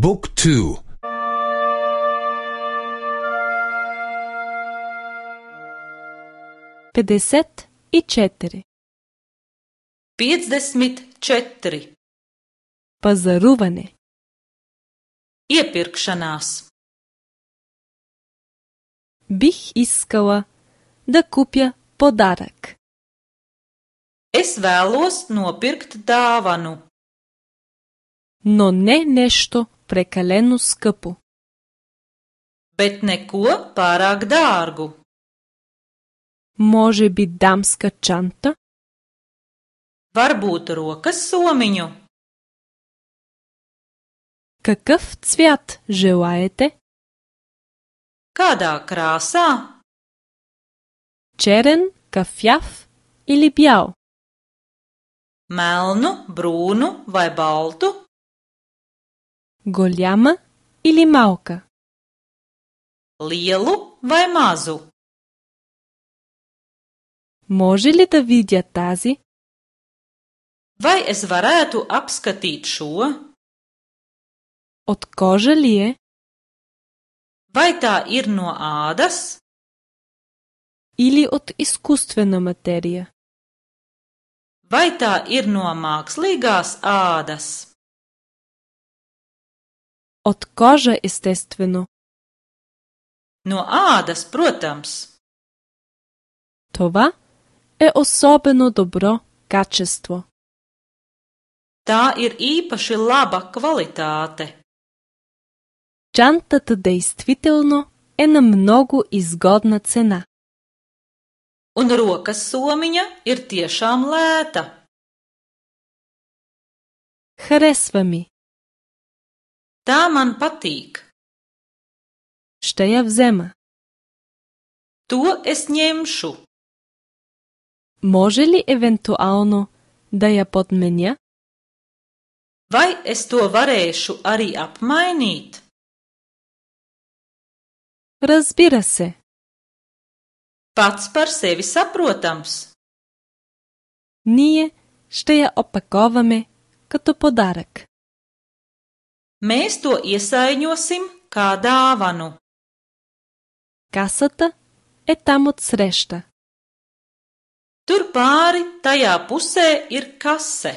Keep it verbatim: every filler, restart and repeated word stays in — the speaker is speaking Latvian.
บุ๊กทูpedeset i četiri. piecdesmit četri. Pazaruvane. Iepirkšanās. Bih iskala da kupja podarak. Es vēlos nopirkt dāvanu. No ne nešto prekaleno skъпо. Bet neko pārāk dārgu. Може би дамска чанта? Varbūt rokas somiņu. Какъв цвят желаете? Kādā krāsā? Черен, кафяв или бял? Melnu, brūnu vai baltu? Голяма или малка? Lielu vai mazu? Може ли да видя тази? Vai es varētu apskatīt šo? От кожа ли е? Vai tā ir no ādas? Или от изкуствена материя? Vai tā ir no mākslīgās ādas? От кожа, естествено. No ādas, protams. Това е особено добро качество. Tā ir īpaši laba kvalitāte. Чантата действително е на много изгодна цена. Un rokas somiņa ir tiešām lēta. Харесва ми. Tā man patīk. Ще я взема. To es ņemšu. Може ли евентуално да я подменя? Vai es to varēšu arī apmainīt? Разбира се. Pats par sevi saprotams. Ние ще я опаковаме като подарък. Mēs to iesaiņosim kā dāvanu. Касата е там отсреща. Tur pāri tajā pusē ir kase.